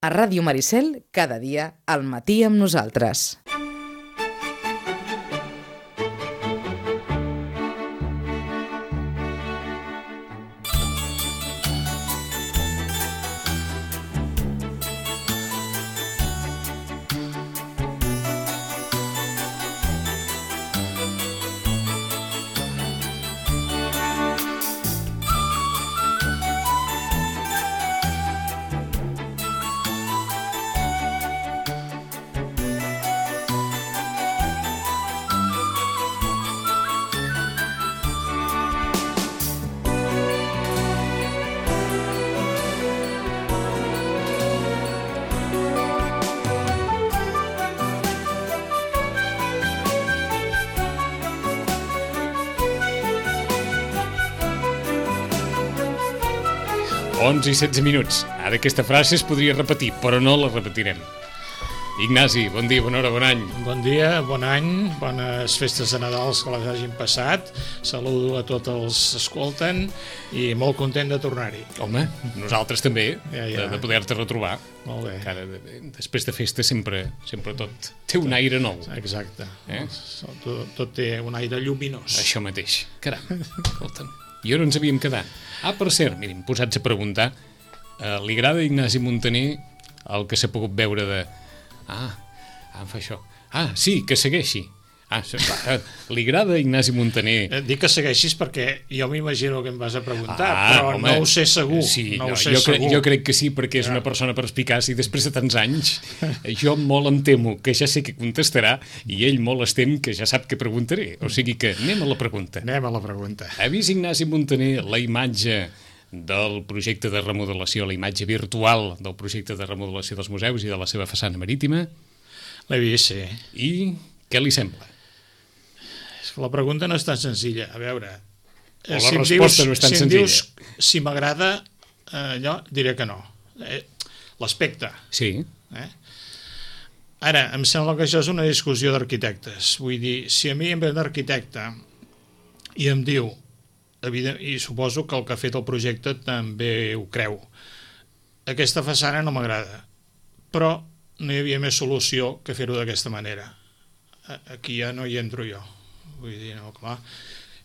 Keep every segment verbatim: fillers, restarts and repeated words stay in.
A Ràdio Maricel, cada dia, al matí amb nosaltres. onze i setze minuts. Ara aquesta frase es podria repetir, però no la repetirem. Ignasi, bon dia, bona hora, bon any. Bon dia, bon any, bones festes de Nadals que les hagin passat. Saludo a tots els que escolten i molt content de tornar-hi. Home, nosaltres també, Ja, ja. de, de poder-te retrobar. Molt bé. Encara, de, després de festa sempre, sempre tot té un aire nou. Exacte. Eh? Tot, tot té un aire lluminós. Això mateix. Caram, escolta'm. I on ens havíem quedat? Ah, per cert, mirin, posats a preguntar, eh, li agrada a Ignasi Muntaner el que s'ha pogut veure de... Ah, ah, em fa això. Ah, sí, que segueixi. Ah, eh, li agrada a Ignasi Muntaner... Eh, Dic que segueixis perquè jo m'imagino que em vas a preguntar, Ah, però home, no ho sé segur. Sí, no no, ho sé jo, crec, segur. jo crec que sí, perquè és Ja. una persona perspicaç i després de tants anys jo molt em temo que ja sé què contestarà i ell molt es tem que ja sap què preguntaré. O sigui que anem a la pregunta. Anem a la pregunta. Ha vist Ignasi Muntaner la imatge del projecte de remodelació, la imatge virtual del projecte de remodelació dels museus i de la seva façana marítima? L'he vist, sí. I què li sembla? És que la pregunta no és tan senzilla. A veure... O la eh, si em resposta dius, no és tan si em senzilla. Dius si m'agrada eh, allò, diré que no. Eh, L'aspecte. Sí, Eh? Ara, em sembla que això és una discussió d'arquitectes. Vull dir, si a mi em ve un arquitecte i em diu, evident, i suposo que el que ha fet el projecte també ho creu, aquesta façana no m'agrada, però no hi havia més solució que fer-ho d'aquesta manera. A- Aquí ja no hi entro jo. Vull dir, no, clar,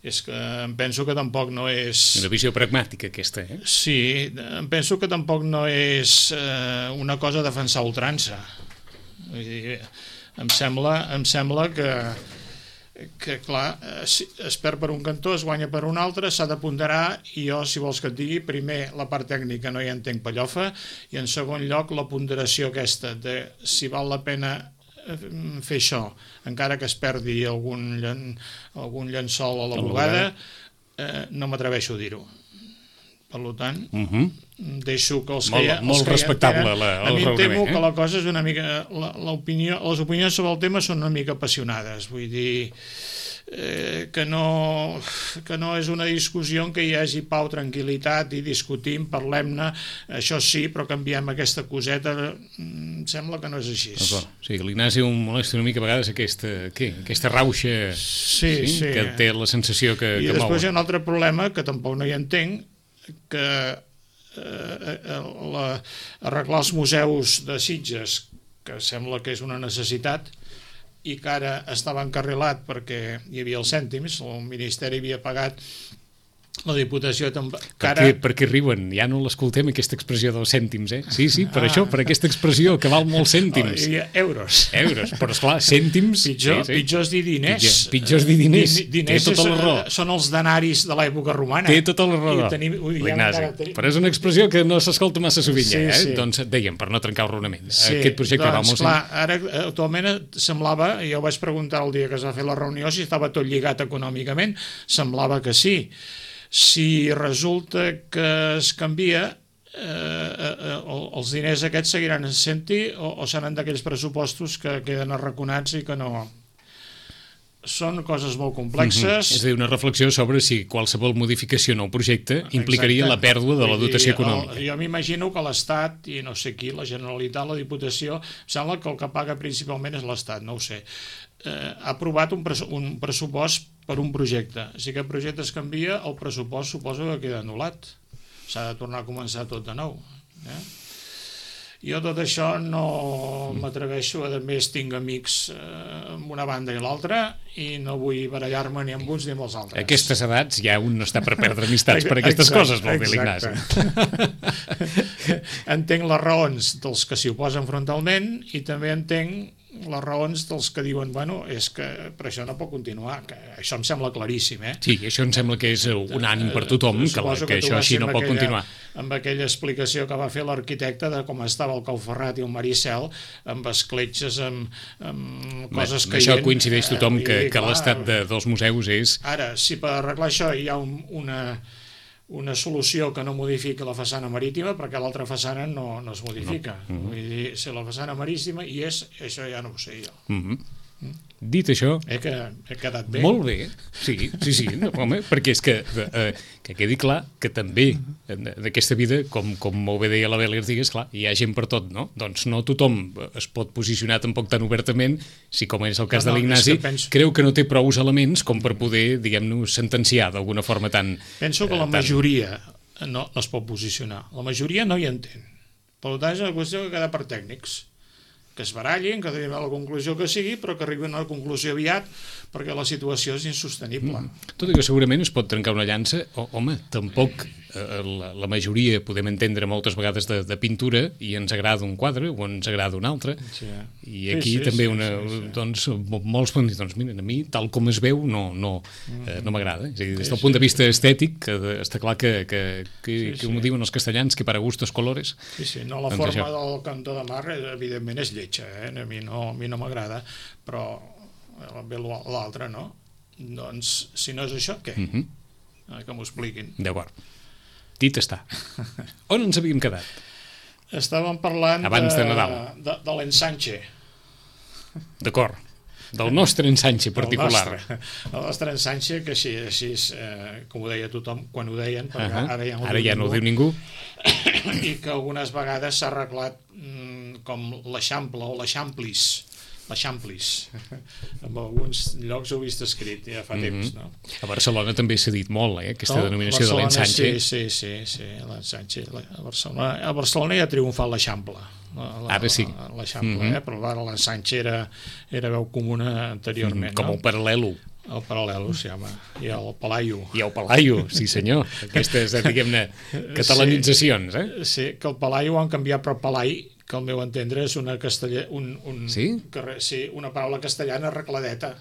és que em penso que tampoc no és... una visió pragmàtica aquesta, eh? Sí, em penso que tampoc no és eh, una cosa a defensar a ultrança. Vull dir, em sembla, em sembla que, que clar, eh, si es perd per un cantó, es guanya per un altre, s'ha de ponderar, i jo, si vols que et digui, primer, la part tècnica no hi entenc pellofa, i en segon lloc, la ponderació aquesta de si val la pena eh, fer això, encara que es perdi algun, llen, algun llençol a la A la bugada, eh, no m'atreveixo a dir-ho. Per tant, Uh -huh. deixo que els Molt- que ja, molt els que ja respectable entenen, la- el a mi em raonament, temo eh? que la cosa és una mica la, l'opinió, les opinions sobre el tema són una mica apassionades, vull dir eh, que no que no és una discussió en què hi hagi pau, tranquil·litat i discutim, parlem-ne, això sí, però canviem aquesta coseta, em sembla que no és així. D'acord. O sigui, l'Ignasi ho molesta una mica a vegades aquesta, què? aquesta rauxa Sí, sí. que té la sensació que, I que després hi ha mou. un altre problema que tampoc no hi entenc, que eh, la, arreglar els museus de Sitges, que sembla que és una necessitat, i que ara estava encarrilat perquè hi havia els cèntims, el Ministeri havia pagat, la Diputació també... Per què, per què riuen? Ja no l'escoltem, aquesta expressió dels cèntims, eh? Sí, sí, per Ah. això, per aquesta expressió, que val molts cèntims. Hi havia euros. Euros, però esclar, cèntims... Pitjor, sí, sí. pitjor és dir diners. Pitjor, pitjor és dir diners. Di- diners Té tota la és- raó. són els denaris de l'època romana. Té tota la raó, I tenim- ui, ja l'Ignasi. encara tenim- Però és una expressió que no s'escolta massa sovint, Sí, ja, eh? sí. Doncs dèiem, per no trencar el raonament. Sí, Aquest projecte va doncs, molt... clar, ara actualment semblava, jo vaig preguntar el dia que es va fer la reunió si estava tot lligat econòmicament, semblava que sí. Si resulta que es canvia, eh, eh, els diners aquests seguiran sent-hi o, o seran d'aquells pressupostos que queden arraconats i que no... Són coses molt complexes. És a dir, una reflexió sobre si qualsevol modificació en el projecte implicaria Exacte. la pèrdua de la Vull dir, dotació el- econòmica. Jo m'imagino que l'Estat, i no sé qui, la Generalitat, la Diputació, em sembla que el que paga principalment és l'Estat, no ho sé, eh, ha aprovat un, pres un pressupost per un projecte. Si aquest projecte es canvia, el pressupost suposo que queda anul·lat. S'ha de tornar a començar tot de nou. Eh? Jo tot això no m'atreveixo, a més tinc amics eh, amb una banda i l'altra i no vull barallar-me ni amb uns ni amb els altres. A aquestes edats ja un no està per perdre amistats per aquestes exacte, coses, vol dir l'Ignasi. Entenc les raons dels que s'hi oposen frontalment i també entenc les raons dels que diuen, bueno, és que per això no pot continuar, que això em sembla claríssim, eh? Sí, això em sembla que és un ànim per tothom, que, la, que, que això així no pot aquella, continuar. Amb aquella explicació que va fer l'arquitecte de com estava el Cauferrat i el Maricel, amb escletxes, amb, amb coses que... Això coincideix tothom, que, que l'estat de, dels museus és... Ara, si per arreglar això hi ha un, una... una solució que no modifiqui la façana marítima, perquè l'altra façana no, no es modifica. No. Mm-hmm. Vull dir, si la façana marítima hi és, això ja no ho sé jo. Mm-hmm. Mm? Dit això... Eh, que he quedat bé. Molt bé, sí, sí, sí, no, home, perquè és que, eh, que quedi clar que també d'aquesta vida, com, com molt bé deia la Beli Artigas, clar, hi ha gent per tot, no? Doncs no tothom es pot posicionar tampoc tan obertament, si com és el cas no, no, de l'Ignasi, penso... creu que no té prou elements com per poder, diguem-nos, sentenciar d'alguna forma tan... Penso que la eh, tan... majoria no, no es pot posicionar. La majoria no hi entén. Per tant, és una qüestió que queda per tècnics, que es barallin, que arribin a la conclusió que sigui, però que arribin a la conclusió aviat, perquè la situació és insostenible. Mm. Tot i que segurament es pot trencar una llança, o, home, tampoc eh, la, la majoria podem entendre moltes vegades de, de pintura i ens agrada un quadre o ens agrada un altre, sí. I aquí sí, sí, també sí, una, sí, sí. Doncs, molts poden dir, doncs mira, a mi tal com es veu no, no, eh, no m'agrada. És a dir, des del sí, punt de vista estètic, que està clar que, que, que, sí, que sí. Ho diuen els castellans, que para gustos colores. Sí, sí, no, la doncs forma això. Del cantó de mar, evidentment, és lletja, eh? A mi no, a mi no m'agrada, però bé l'altre, no? Doncs, si no és això, què? Mm-hmm. Que m'ho expliquin. D'acord. Dit està. On ens havíem quedat? Estàvem parlant abans de, de Nadal. De, de l'ensanche. D'acord. Del nostre ensanche particular. El nostre, el nostre ensanche, que així, així eh, com ho deia tothom, quan ho deien, perquè uh-huh. ara ja no ho ara diu ja ningú, no ho diu ningú. I que algunes vegades s'ha arreglat mm, com l'Eixample o l'Eixamplis, l'Eixamplis. En alguns llocs ho he vist escrit ja fa mm-hmm. temps, no? A Barcelona també s'ha dit molt, eh, aquesta no? denominació Barcelona, de l'ensanche. Sí, sí, sí, sí, l'ensanche. A Barcelona, a Barcelona ja ha triomfat l'Eixample. La, la, ara sí. L'Eixample, mm-hmm. eh? Però ara l'ensanche era, era veu comuna anteriorment. Mm, com no? un paral·lelo. El paral·lelo, sí, home. I el palaio. I el palaio, sí senyor. Aquestes, diguem-ne, catalanitzacions, eh? Sí, que el palaio ho han canviat per palai, que al meu entendre és una castella... Un, un, sí? Carrer, sí, una paraula castellana arregladeta.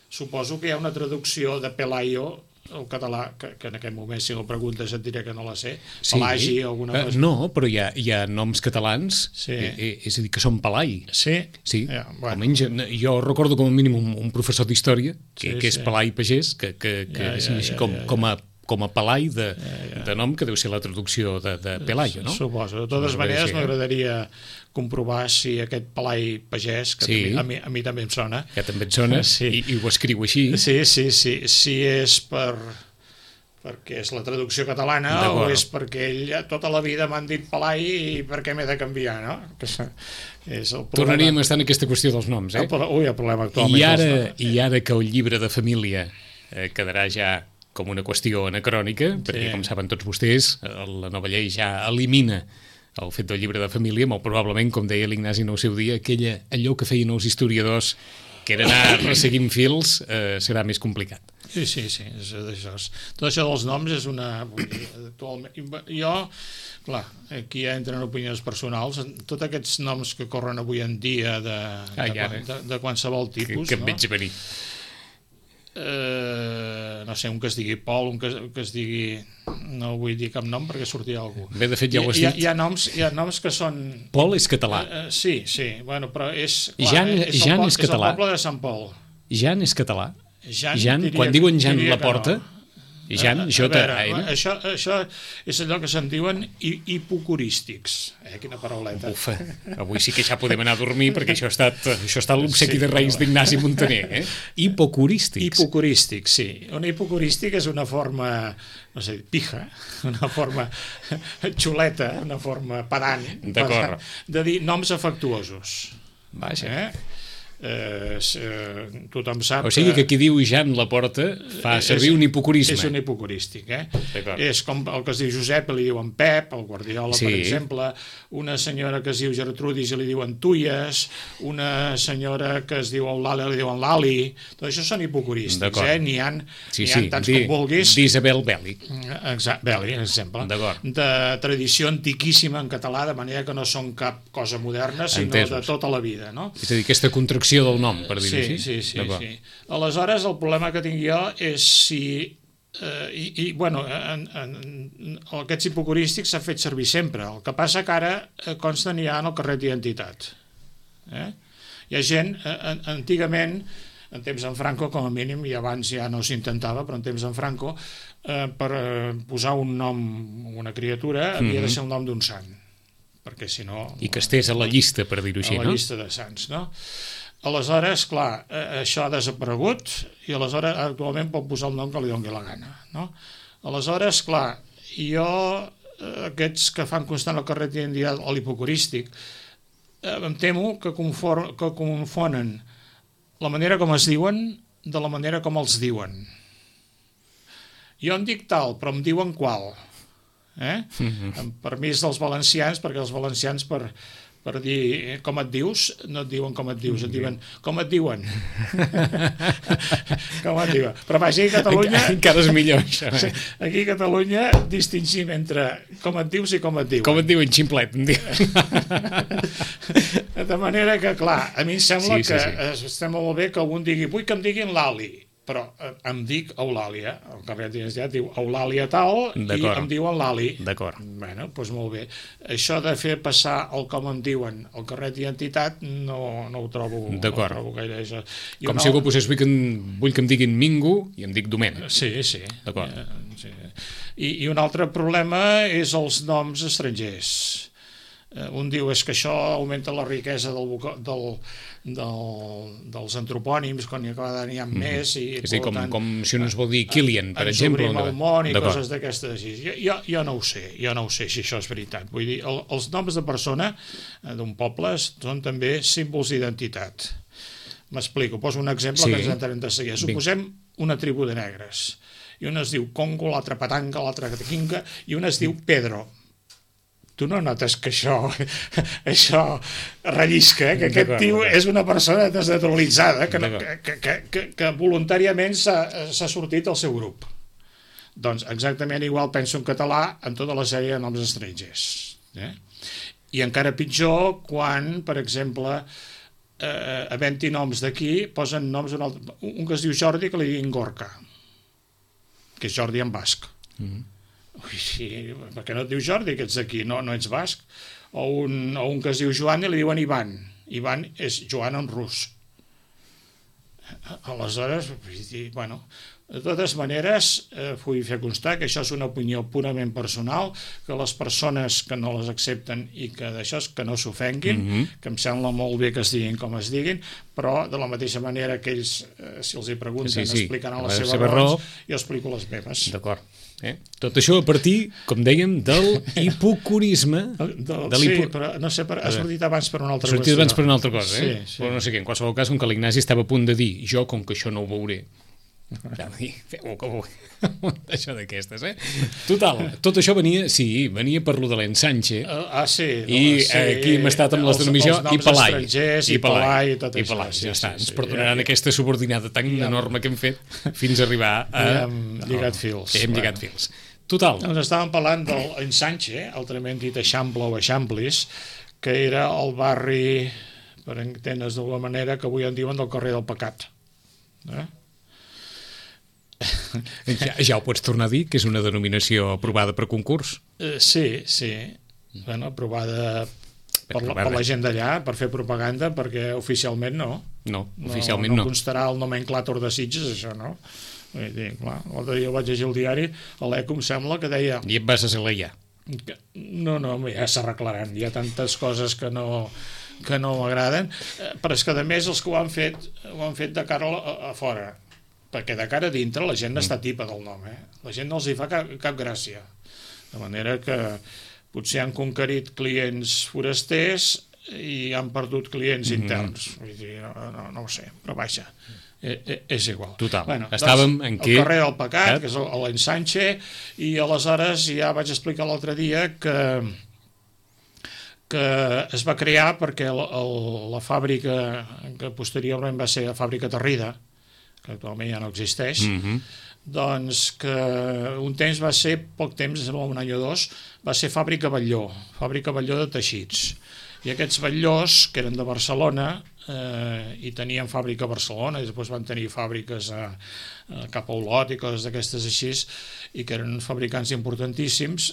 Suposo que hi ha una traducció de pelaio el català, que, que en aquest moment si no preguntes et diré que no la sé, sí. Pelagi o alguna cosa. Uh, no, però hi ha, hi ha noms catalans, sí. eh, és a dir, que són Pelai. Sí? Sí, ja, bueno. almenys jo recordo com a mínim un, un professor d'història, que, sí, que és sí. Pelai Pagès, que, que, que ja, ja, ja, com, ja, ja. com a com a Pelai de, ja, ja. de nom, que deu ser la traducció de, de Pelayo, no? Suposo. De totes maneres, m'agradaria comprovar si aquest Pelai Pagès, que sí. també, a, mi, a mi també em sona... Que també et sona, sí. i, i ho escriu així. Sí, sí, sí. Si és per... perquè és la traducció catalana o és perquè ell tota la vida m'han dit Pelai i per què m'he de canviar, no? Que és el Tornaríem a estar en aquesta qüestió dels noms, eh? El, ui, el problema actualment. I ara, i ara que el llibre de família eh, quedarà ja com una qüestió anacrònica, perquè, sí. com saben tots vostès, la nova llei ja elimina el fet del llibre de família, molt probablement, com deia l'Ignasi en el seu dia, aquella, allò que feien els historiadors, que era anar resseguint fils, eh, serà més complicat. Sí, sí, sí. És, és, tot això dels noms és una... Actualment, jo, clar, aquí ja entren opinions personals, tots aquests noms que corren avui en dia de, ah, de, de, de, de qualsevol tipus, que, que em no? veig venir. Eh, no sé, un que es digui Pol, un que, que es digui... No vull dir cap nom perquè sortirà algú. Bé, de fet ja ho has dit. Hi ha, hi ha, noms, hi ha noms que són... Pol és català. Eh, eh, sí, sí, bueno, però és... Clar, Jan, és, Jan el, és català. És el poble de Sant Pol. Jan és català. Jan, Jan diria, quan diuen Jan Laporta... No. Jan, a, J, a veure, A, això, això és allò que se'n diuen hipocorístics. Eh, quina parauleta. Ufa, avui sí que ja podem anar a dormir perquè això ha estat, això ha estat l'obsequi sí, de Reis no. d'Ignasi Montaner. Eh? Hipocorístics. Hipocorístics, sí. Un hipocorístic és una forma, no sé, pija, una forma xuleta, una forma pedant, d'acord, de dir noms afectuosos. Vaja. Eh? eh, eh, tothom sap... O sigui que qui diu Jan Laporta fa servir és, un hipocorisme. És un hipocorístic, eh? És com el que es diu Josep, li diuen Pep, el Guardiola, sí. per exemple, una senyora que es diu Gertrudis i li diuen Tuyes, una senyora que es diu Eulàlia li diuen Lali, tot això són hipocorístics, eh? N'hi ha, sí, ha sí. tants Di, com vulguis. D'Isabel Belli. Exacte, Belli, per exemple. De tradició antiquíssima en català, de manera que no són cap cosa moderna, sinó Entesos. de tota la vida, no? És a dir, aquesta contracció del nom, per dir-ho sí, així. Sí, sí, sí. Aleshores, el problema que tinc jo és si... Eh, i, i, bueno, en, en, en, aquests hipocorístics s'ha fet servir sempre. El que passa que ara eh, consten ja en el carret d'identitat. Eh? Hi ha gent, eh, antigament, en temps en Franco, com a mínim, i abans ja no s'intentava, però en temps en Franco, eh, per eh, posar un nom a una criatura havia mm-hmm. de ser el nom d'un sant. Perquè si no... I que estés a la llista, per dir-ho així, no? A la llista de sants, no? Aleshores, clar, eh, això ha desaparegut i aleshores actualment pot posar el nom que li doni la gana, no? Aleshores, clar, jo, eh, aquests que fan constant el carret d'identitat o l'hipocorístic, eh, em temo que, conform, que confonen la manera com es diuen de la manera com els diuen. Jo em dic tal, però em diuen qual. Eh? Mm-hmm. Amb permís dels valencians, perquè els valencians per... per dir com et dius, no et diuen com et dius, et diuen com et diuen. com et diuen. Però vaja, aquí a Catalunya... Encara és millor, això. Eh? Aquí a Catalunya distingim entre com et dius i com et diuen. Com et diuen, ximplet. De manera que, clar, a mi em sembla sí, sí, que sí. estem molt bé que algun digui, vull que em diguin l'Ali, però em dic Eulàlia, el carret d'identitat diu Eulàlia tal i em diuen l'Ali. D'acord. Bueno, doncs molt bé. Això de fer passar el com em diuen el carret d'identitat no, no ho trobo, no ho trobo gaire. Això. Com no... si algú posés, vull que, em, vull que em diguin Mingo i em dic Domènec. Sí, sí. D'acord. Eh, sí. I, I un altre problema és els noms estrangers. Eh, un diu és que això augmenta la riquesa del, del, del, dels antropònims quan n'hi ha mm-hmm. més i, és a dir, com, tant, com si un es vol dir Kilian, per ens exemple. Ens obrim el món i coses d'aquestes. Jo, jo, jo no ho sé, jo no ho sé si això és veritat. Vull dir, el, els noms de persona d'un poble són també símbols d'identitat. M'explico, poso un exemple sí. que ens entenem de seguir. Suposem una tribu de negres i un es diu Congo, l'altre Patanga, l'altre Catequinga i un es diu Pedro. Tu no notes que això, això rellisca, eh? Que aquest tio és una persona desnaturalitzada, que, no, que, que, que, que voluntàriament s'ha sortit del seu grup. Doncs exactament igual penso en català en tota la sèrie de noms estrangers. Eh? I encara pitjor quan, per exemple, eh, havent-hi noms d'aquí, posen noms d'un altre... Un que es diu Jordi que li diuen Gorka, que és Jordi en basc. Mm-hmm. Ui, sí, perquè no et diu Jordi que ets d'aquí, no, no ets basc. O un, o un que es diu Joan i li diuen Ivan. Ivan és Joan en rus. Aleshores, bueno, de totes maneres, eh, vull fer constar que això és una opinió purament personal, que les persones que no les accepten i que d'això és que no s'ofenguin, mm-hmm. que em sembla molt bé que es diguin com es diguin, però de la mateixa manera que ells, eh, si els hi pregunten, sí, sí. explicaran les seves raons, jo explico les meves. D'acord. Eh? Tot això a partir, com dèiem, del hipocorisme. Del, de sí, però no sé, per, ha sortit abans per una altra cosa. Ha sortit abans per una altra cosa, eh? Sí, sí. Però no sé què, en qualsevol cas, com que l'Ignasi estava a punt de dir, jo, com que això no ho veuré, ja dir, feu-ho com ho això d'aquestes, eh? Total, tot això venia, sí, venia per lo de l'ensanxe. Ah, sí. I sí, aquí hem estat amb les denominació i Pelai. I Pelai i tot I això. Pelai, ja està. Ens perdonaran aquesta subordinada tan enorme que hem fet fins a arribar a... I hem lligat fils. Hem lligat fils. Total. Ens estàvem parlant de l'ensanxe, altrament dit Eixample o Eixamplis, que era el barri, per entendre's d'alguna manera, que avui en diuen del carrer del Pecat. Eh? Ja, ja ho pots tornar a dir, que és una denominació aprovada per concurs? Uh, sí, sí. Bueno, aprovada per la, per la gent d'allà, per fer propaganda, perquè oficialment no. No, oficialment no. No, no constarà el nomenclàtor de Sitges, això no. Vull dir, clar, l'altre dia vaig llegir el diari, a l'Eco em sembla que deia... I et vas a Salaià. Que, no, no, ja s'arreglaran, hi ha tantes coses que no, que no m'agraden, però és que a més els que ho han fet, ho han fet de cara a, a fora. Perquè de cara a dintre la gent està tipa del nom, eh? La gent no els hi fa cap, cap gràcia. De manera que potser han conquerit clients forasters i han perdut clients mm. interns. Vull dir, no, no, no ho sé, però vaja, eh, és igual. Total, bueno, estàvem doncs, en què... El carrer del Pecat, que és l'Ensanche, i aleshores ja vaig explicar l'altre dia que que es va crear perquè el, el, la fàbrica, que posteriorment va ser la fàbrica Tarrida, que actualment ja no existeix, mm-hmm. doncs que un temps va ser, poc temps, un any o dos, va ser fàbrica Batlló, fàbrica Batlló de teixits. I aquests batllós, que eren de Barcelona, eh, i tenien fàbrica a Barcelona, i després van tenir fàbriques a, a cap a Olot i coses d'aquestes així, i que eren fabricants importantíssims,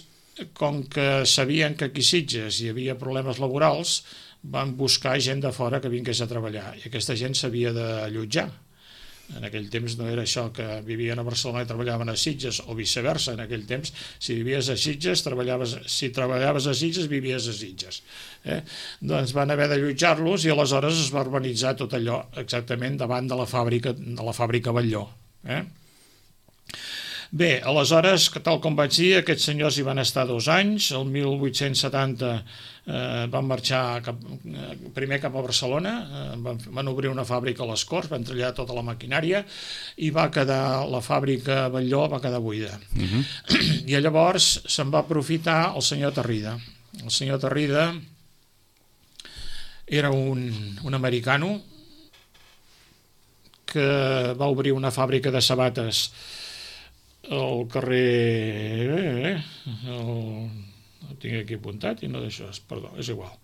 com que sabien que aquí a Sitges hi havia problemes laborals, van buscar gent de fora que vingués a treballar, i aquesta gent s'havia d'allotjar. En aquell temps no era això que vivien a Barcelona i treballaven a Sitges, o viceversa. En aquell temps, si vivies a Sitges, treballaves, si treballaves a Sitges, vivies a Sitges. Eh? Doncs van haver d'allotjar-los i aleshores es va urbanitzar tot allò exactament davant de la fàbrica, de la fàbrica Batlló. Eh? Bé, aleshores, tal com vaig dir, aquests senyors hi van estar dos anys. El mil vuit-cents setanta eh, van marxar cap, eh, primer cap a Barcelona, eh, van, van obrir una fàbrica a les Corts, van treballar tota la maquinària i va quedar la fàbrica Batlló va quedar buida. Uh-huh. I llavors se'n va aprofitar el senyor Tarrida. El senyor Tarrida era un, un americano que va obrir una fàbrica de sabates al carrer... El, el tinc aquí apuntat i no d'això, perdó, és igual.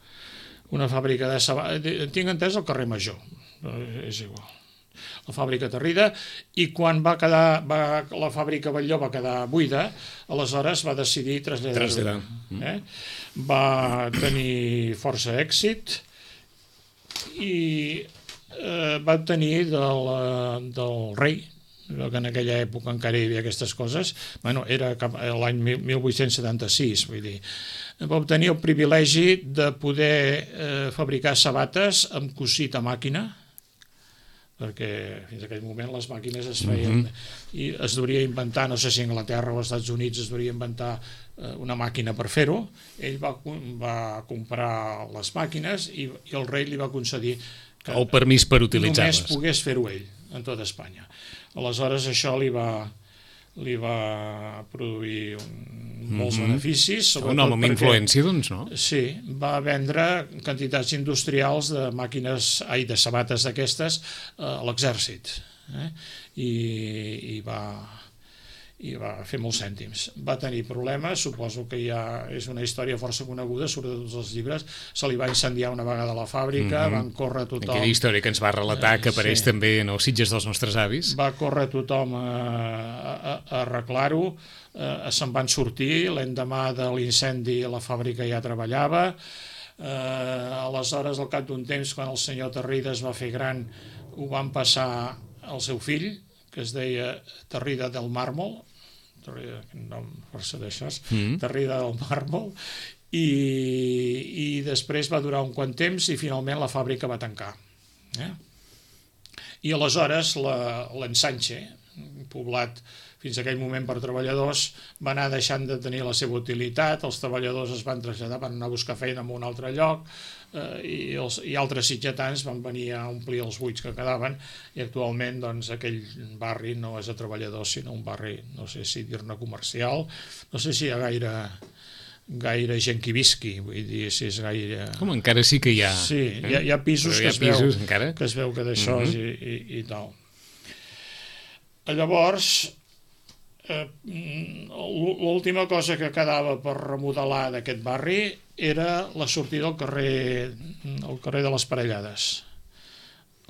Una fàbrica de sabates... Tinc entès el carrer Major, és igual. La fàbrica Tarrida, i quan va quedar va, la fàbrica Batlló va quedar buida, aleshores va decidir traslladar. Traslladar. Eh? Va tenir força èxit i eh, va obtenir del, del rei, que en aquella època encara hi havia aquestes coses, bueno, era l'any mil vuit-cents setanta-sis, vull dir, va obtenir el privilegi de poder eh, fabricar sabates amb cosit a màquina, perquè fins a aquell moment les màquines es feien, mm-hmm. i es devia inventar, no sé si a Anglaterra o als Estats Units es devia inventar eh, una màquina per fer-ho. Ell va, va comprar les màquines i, i el rei li va concedir que el permís per utilitzar-les. Només pogués fer-ho ell, en tota Espanya. Aleshores això li va, li va produir un, molts mm-hmm. beneficis. Un home amb influència, doncs, no? Sí, va vendre quantitats industrials de màquines, ai, de sabates d'aquestes a l'exèrcit. Eh? I, i va... i va fer molts cèntims. Va tenir problemes, suposo que ja és una història força coneguda, sobretot tots els llibres. Se li va incendiar una vegada la fàbrica, mm-hmm. van córrer tothom... Aquella història que ens va relatar, que apareix sí. també en els Sitges dels nostres avis. Va córrer tothom a, a, a arreglar-ho, eh, se'n van sortir, l'endemà de l'incendi la fàbrica ja treballava, eh, aleshores al cap d'un temps, quan el senyor Tarrida es va fer gran, ho van passar al seu fill, que es deia Tarrida del Màrmol, Tarrida, nom força d'això, mm. Tarrida del Màrmol, i, i després va durar un quant temps i finalment la fàbrica va tancar. Eh? I aleshores l'Ensanche, poblat fins a aquell moment per treballadors, va anar deixant de tenir la seva utilitat, els treballadors es van traslladar, van anar a buscar feina en un altre lloc, eh, i, els, i altres sitgetans van venir a omplir els buits que quedaven, i actualment doncs, aquell barri no és de treballadors, sinó un barri, no sé si dir-ne comercial, no sé si hi ha gaire... gaire gent que visqui, vull dir, si és gaire... Com, encara sí que hi ha... Sí, eh? hi, ha, hi ha pisos, hi ha que, es pisos veu, encara? que es veu que d'això mm-hmm. i, i, i tal. Llavors, eh, l'última cosa que quedava per remodelar d'aquest barri era la sortida al carrer, al carrer de les Parellades,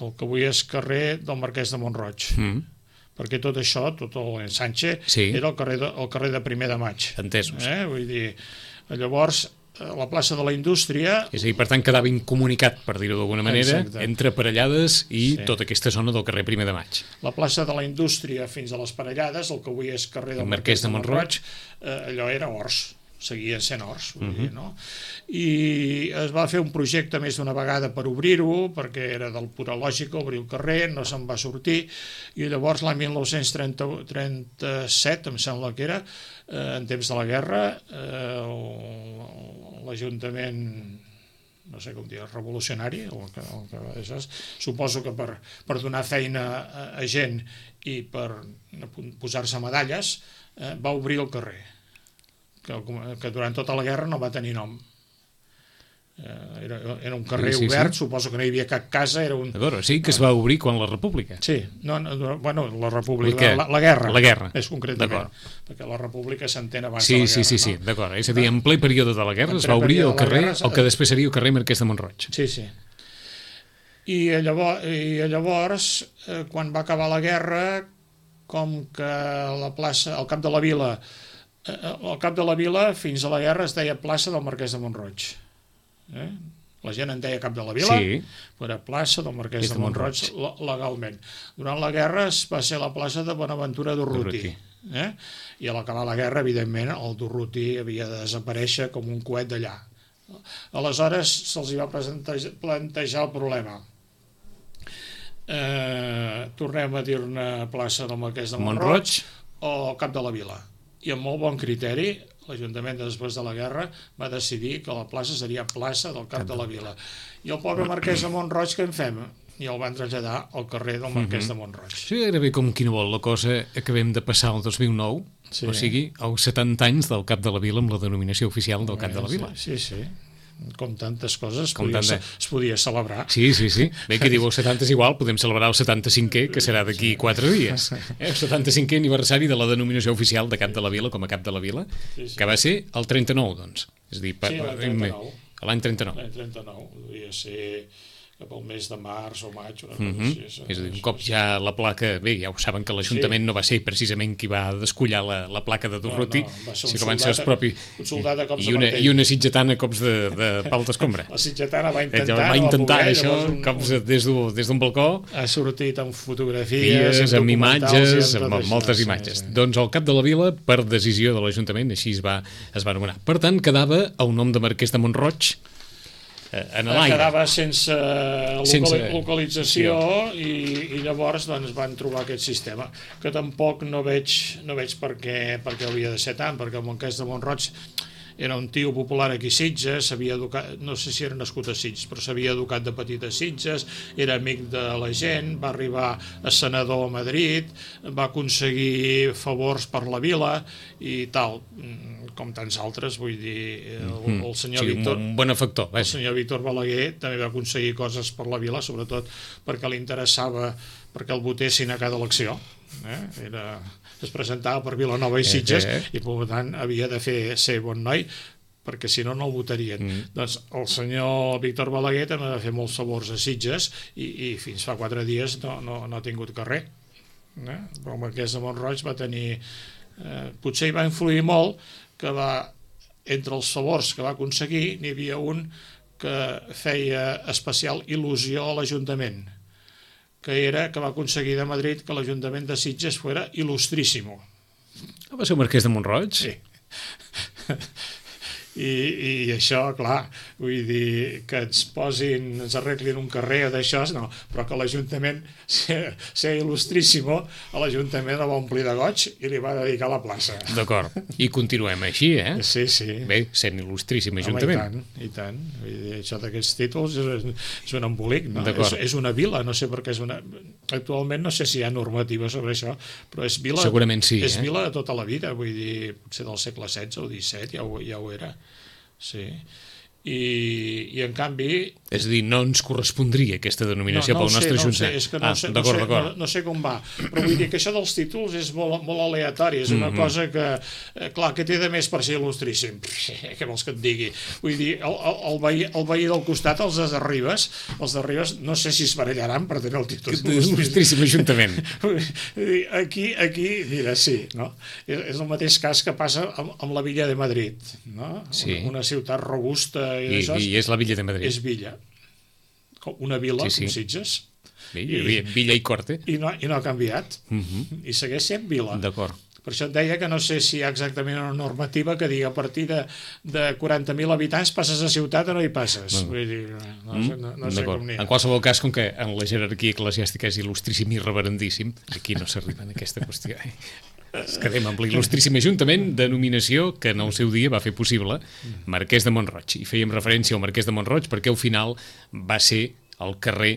el que avui és carrer del Marquès de Mont-roig. Mm. Perquè tot això, tot l'Ensanche, sí. era el carrer, de, el carrer de Primer de Maig. Entesos. Eh? Vull dir, llavors, la plaça de la Indústria... És a dir, per tant, quedava incomunicat, per dir-ho d'alguna manera, exacte. Entre Parellades i sí. tota aquesta zona del carrer Primer de Maig. La plaça de la Indústria fins a les Parellades, el que avui és carrer del Marquès de Mont-roig, eh, allò era horts, seguien sent horts, vull uh-huh. dir, no? I es va fer un projecte més d'una vegada per obrir-ho, perquè era del pura lògica obrir el carrer, no se'n va sortir, i llavors l'any mil nou-cents trenta-set, em sembla que era, eh, en temps de la guerra, eh, l'Ajuntament no sé com dir, revolucionari, el que, el que és, suposo que per, per donar feina a, a gent i per posar-se medalles, eh, va obrir el carrer, que, que durant tota la guerra no va tenir nom. Era, era un carrer sí, sí, obert, sí. Suposo que no hi havia cap casa, era un... D'acord, sí que es va obrir quan la República. Sí, no, no, bueno, la República, la, la guerra. La guerra. És concretament, perquè la República s'entén abans sí, de la guerra. Sí, sí, sí, no? D'acord, és a dir, en ple període de la guerra es va obrir el carrer, guerra, el que després seria el carrer Marquès de Mont-roig. Sí, sí. I llavors, i llavors eh, quan va acabar la guerra, com que la plaça, al cap de la vila, eh, al cap de la vila, fins a la guerra es deia plaça del Marquès de Mont-roig. Eh? La gent en deia cap de la vila, sí. Era plaça del Marquès de Mont-roig legalment. Durant la guerra es va ser la plaça de Bonaventura Durruti. Eh? I a l'acabar la guerra, evidentment, el Durruti havia de desaparèixer com un coet d'allà. Aleshores se'ls va plantejar el problema. Eh, tornem a dir-ne plaça del Marquès de Mont-roig o cap de la vila. I amb molt bon criteri, l'Ajuntament, després de la guerra, va decidir que la plaça seria plaça del cap de la vila. I el pobre Marquès de Mont-roig, què en fem? I el van traslladar al carrer del Marquès de Mont-roig. Sí, gairebé com qui no vol la cosa, acabem de passar el dos mil nou, sí. O sigui, els setanta anys del cap de la vila amb la denominació oficial del cap de la vila. Sí, sí. Com tantes coses com podia, tanta... es podia celebrar. Sí, sí, sí. Bé, que diu el setanta és igual, podem celebrar el setanta-cinquè, que serà d'aquí quatre dies. Eh? El setanta-cinquè aniversari de la denominació oficial de cap de la vila, com a cap de la vila, sí, sí. Que va ser el trenta-nou, doncs. És a dir, sí, l'any trenta-nou. L'any trenta-nou. L'any trenta-nou, devia ser cap al mes de març o maig. Una mm -hmm. així, és a dir, un cop ja la placa... Bé, ja ho saben que l'Ajuntament sí. No va ser precisament qui va descollar la, la placa de Durruti, no, no, si que van ser els propis... Un soldat a cops I una, i una sitgetana a cops de, de pal d'escombra. La sitgetana va intentar... Va intentar no això, un, cops des d'un balcó... Ha sortit amb fotografies, amb, amb imatges, amb, amb moltes això, imatges. Sí, sí. Doncs el cap de la vila, per decisió de l'Ajuntament, així es va, es va anomenar. Per tant, quedava el nom de Marquès de Mont-roig en l'aire. Quedava sense, sense localització i, i llavors doncs, van trobar aquest sistema, que tampoc no veig, no veig per què, per què hauria de ser tant, perquè el Marquès de Mont-roig era un tio popular aquí a Sitges, s'havia educat, no sé si era nascut a Sitges, però s'havia educat de petit a Sitges, era amic de la gent, va arribar a senador a Madrid, va aconseguir favors per la vila i tal, com tants altres, vull dir, el, el senyor sí, Víctor... Un benefactor. El senyor Víctor Balaguer també va aconseguir coses per la vila, sobretot perquè li interessava perquè el votessin a cada elecció. Eh? Era... es presentava per Vilanova i Sitges eh, eh. i per tant havia de fer ser bon noi perquè si no no el votarien. Mm. Doncs el senyor Víctor Balaguer també va fer molts favors a Sitges i, i fins fa quatre dies no, no, no ha tingut carrer. Eh? Però el Marquès de Mont-roig va tenir... Eh, potser hi va influir molt que va, entre els favors que va aconseguir n'hi havia un que feia especial il·lusió a l'Ajuntament, que era que va aconseguir de Madrid que l'Ajuntament de Sitges fuera il·lustríssimo. Ah, va ser el Marquès de Mont-roig? Sí. I, i això, clar, vull dir que ens posin, ens arreglin un carrer d'això, no, però que l'Ajuntament ser il·lustríssimo, a l'Ajuntament el va omplir de goig i li va dedicar la plaça. D'acord, i continuem així, eh? Sí, sí. Bé, sent il·lustríssim Ajuntament. Home, i tant, i tant. Vull dir, això d'aquests títols és, és un embolic, no? És, és una vila, no sé per què és una... Actualment no sé si hi ha normativa sobre això, però és vila... Segurament sí, és eh? vila de tota la vida, vull dir, potser del segle setze o disset, ja ho, ja ho era. Sí. I, i en canvi... És a dir, no ens correspondria aquesta denominació no, no pel nostre sé, Ajuntament. No sé, és que no, ah, sé, no, sé, no, no sé com va, però vull dir que això dels títols és molt, molt aleatori, és una mm-hmm. cosa que, eh, clar, que té de més per ser il·lustríssim, què vols que et digui? Vull dir, el, el, el, veí, el veí del costat, els de Ribes, els de Ribes no sé si es barallaran per tenir el títol il·lustríssim Ajuntament. Aquí, aquí, mira, sí, no? És, és el mateix cas que passa amb, amb la Villa de Madrid, no? Sí. Una, una ciutat robusta i, I, això, i és la Villa de Madrid. És Villa. Una vila, sí, sí. com Sitges. Bé, I, Villa i Corte. I no, i no ha canviat. Uh-huh. I segueix sent vila. D'acord. Per això et deia que no sé si hi ha exactament una normativa que digui a partir de, de quaranta mil habitants passes a ciutat o no hi passes. No. Vull dir, no, mm? no, no sé com n'hi ha. En qualsevol cas, com que en la jerarquia eclesiàstica és il·lustríssim i reverendíssim, aquí no s'arriba en aquesta qüestió. Eh? Ens quedem amb l'il·lustríssim Ajuntament, denominació que en el seu dia va fer possible Marquès de Mont-roig. I fèiem referència al Marquès de Mont-roig perquè al final va ser el carrer,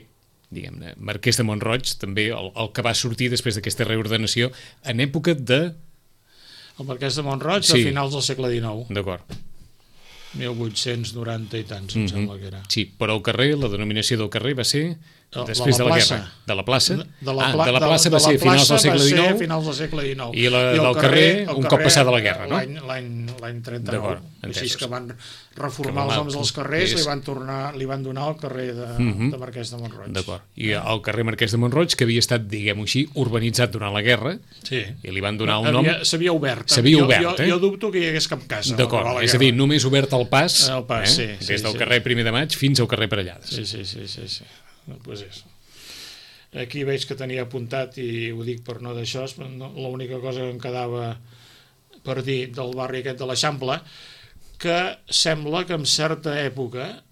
diguem-ne, Marquès de Mont-roig, també el, el que va sortir després d'aquesta reordenació en època de... El Marquès de Mont-roig, Sí. a finals del segle dinou, D'acord. mil vuit-cents noranta i tants, em Mhm. sembla que era. Sí, però el carrer, la denominació del carrer va ser De- de després la de la, plaça. guerra. De la plaça? De la, ah, pla- de la plaça de, va de ser la finals del plaça segle va ser dinou finals del segle dinou. i la- el del carrer, el un cop passada la guerra, no? L'any l'any l'any trenta-nou. D'acord, Així entesos. que van reformar Que els va- noms dels carrers, és- li van tornar, li van donar el carrer de, Mhm. de Marquès de Mont-roig. D'acord. I el carrer Marquès de Mont-roig, que havia estat, diguem-ho així, urbanitzat durant la guerra, Sí. i li van donar un nom... Havia- S'havia obert. S'havia Jo- obert, jo, eh? Jo dubto que hi hagués cap casa. al D'acord, acabar la és a dir, guerra. només obert el pas, El pas, sí, eh? sí, des del sí. carrer Primer de Maig fins al carrer Parellades. Sí, sí, sí, sí, sí. No, pues és. Aquí veig que tenia apuntat, i ho dic per no d'això, no, l'única cosa que em quedava per dir del barri aquest de l'Eixample, que sembla que en certa època,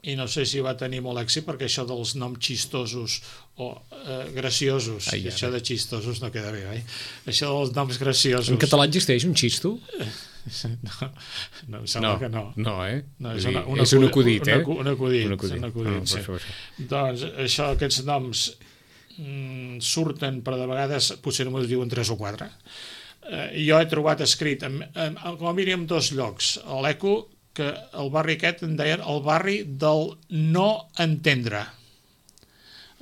i no sé si va tenir molt èxit, perquè això dels noms xistosos o eh, graciosos, Ai, això ara. de xistosos no queda bé, oi? Això dels noms graciosos... En català existeix un xisto? No, no, em sembla No, que no. no, eh? No, Vull és, dir, una, una és un acudit, acudit, eh? Un, acudit, Un acudit. un acudit, Ah, sí. per això, per això. Doncs això, aquests noms mm, surten, però de vegades potser només diuen tres o quatre. Eh, jo he trobat escrit, en, en, en, com a mínim dos llocs, a l'Eco, que el barri aquest en deien el barri del no entendre.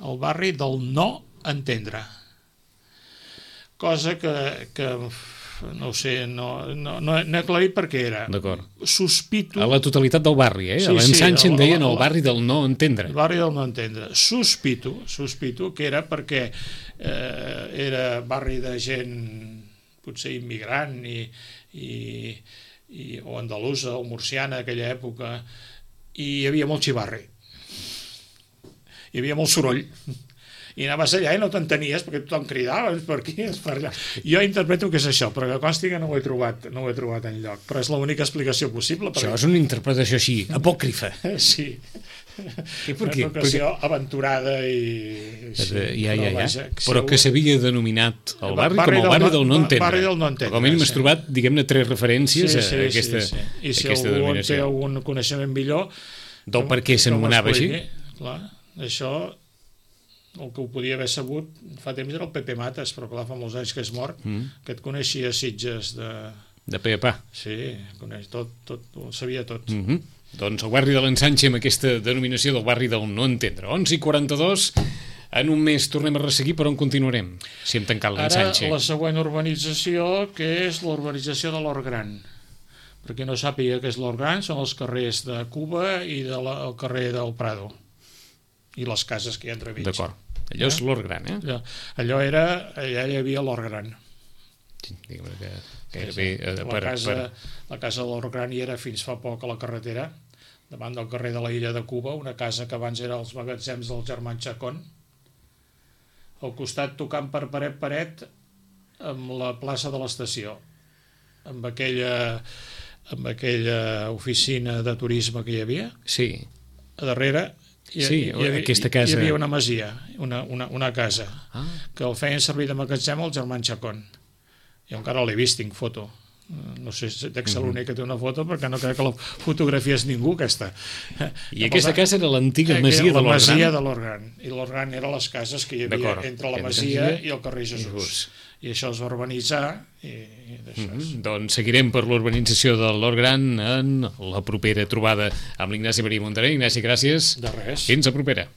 El barri del no entendre. Cosa que, que no ho sé, no, no, no, no he aclarit per què era. D'acord. Sospito... A la totalitat del barri, eh? Sí, A l'ensanxe sí, en la- deien la- el barri del no entendre. El barri del no entendre. Sospito, sospito que era perquè eh, era barri de gent potser immigrant i, i, i, o andalusa o murciana aquella època, i hi havia molt xivarri. Hi havia molt soroll. I anaves allà i no t'entenies perquè tothom cridava per aquí, per allà. Jo interpreto que és això, però que consti que no ho he trobat, no ho he trobat enlloc. Però és l'única explicació possible. Això és una interpretació així, apòcrifa. Sí. I per què? Una ocasió aventurada i... Sí, Sí, ja, ja, ja. vaja, si Però algú- que s'havia denominat el barri, Barri com el del barri no- del no entendre. barri del no entendre, Com a mínim has sí. trobat, diguem-ne, tres referències Sí, sí, a aquesta, sí, sí. I si aquesta algú en té denominació. algun coneixement millor... Del per què que s'anomenava així? m'expliqui. Clar, això, el que ho podia haver sabut fa temps era el Pepe Mates, però clar, fa molts anys que és mort, Mm. que et coneixia Sitges de... De pe a pa. Sí, coneix tot, tot, ho sabia tot. Mm -hmm. Doncs el barri de l'Ensanxe amb aquesta denominació del barri del no entendre. onze i quaranta-dos, en un mes tornem a resseguir, però on continuarem? Si hem tancat Ara, l'Ensanxe. la següent urbanització, que és la urbanització de l'Hort Gran. Per qui no sàpiga què és l'Hort Gran, són els carrers de Cuba i de la, el carrer del Prado. I les cases que hi ha entremig. D'acord. Allò és l'Hort Gran, eh? Allò, allò era, allà hi havia l'Hort Gran. Sí, diguem que Sí, gairebé sí. eh, La, per, casa, per... la casa de l'Hort Gran hi era fins fa poc a la carretera, davant del carrer de la Illa de Cuba, una casa que abans era els magatzems del germà Chacón, al costat tocant per paret paret amb la plaça de l'estació, amb aquella, amb aquella oficina de turisme que hi havia, Sí, a darrere hi, Sí, hi, havia, aquesta casa. hi havia una masia, una, una, una casa, ah, que el feien servir de magatzem el germà Chacón. Jo encara l'he vist, tinc foto. No sé si dec ser l'únic que té una foto, perquè no crec que la fotografia és ningú, aquesta. i aquesta casa era l'antiga masia de la l'Hort masia Gran. de l'Hort Gran. I l'Hort Gran eren les cases que hi havia D'acord. entre la Entre masia masia i el carrer Jesús. Jesús. I això es va urbanitzar i, i d'això. Mm -hmm. Doncs seguirem per l'urbanització de l'Hort Gran en la propera trobada amb l'Ignasi Maria Montaner. Ignasi, gràcies. De res. Fins a propera.